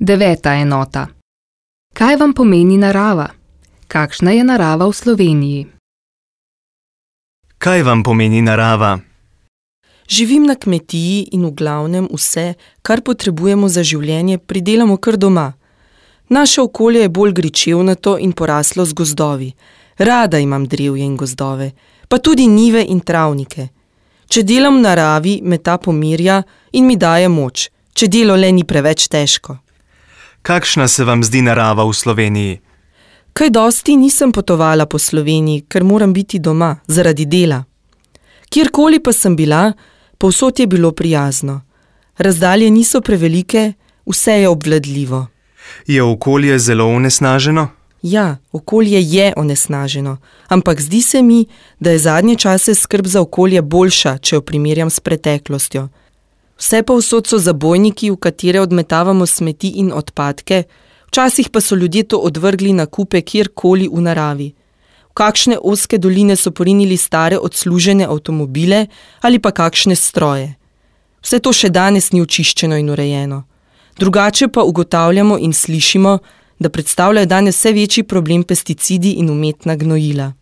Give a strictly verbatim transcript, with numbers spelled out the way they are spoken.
Deveta enota. Kaj vam pomeni narava? Kakšna je narava v Sloveniji? Kaj vam pomeni narava? Živim na kmetiji in v glavnem vse, kar potrebujemo za življenje, pridelamo kar doma. Naše okolje je bolj gričevnato in poraslo z gozdovi. Rada imam drevje in gozdove, pa tudi njive in travnike. Če delam v naravi, me ta pomirja in mi daje moč, če delo le ni preveč težko. Kakšna se vam zdi narava v Sloveniji? Kaj dosti nisem potovala po Sloveniji, ker moram biti doma, zaradi dela. Kjerkoli pa sem bila, povsod je bilo prijazno. Razdalje niso prevelike, vse je obvladljivo. Je okolje zelo onesnaženo? Ja, okolje je onesnaženo, ampak zdi se mi, da je zadnje čase skrb za okolje boljša, če jo primerjam s preteklostjo. Vse povsod so zabojniki, v katere odmetavamo smeti in odpadke, včasih pa so ljudje to odvrgli na kupe kjerkoli v naravi. V kakšne ozke doline so porinili stare odslužene avtomobile ali pa kakšne stroje. Vse to še danes ni očiščeno in urejeno. Drugače pa ugotavljamo in slišimo, da predstavljajo danes vse večji problem pesticidi in umetna gnojila.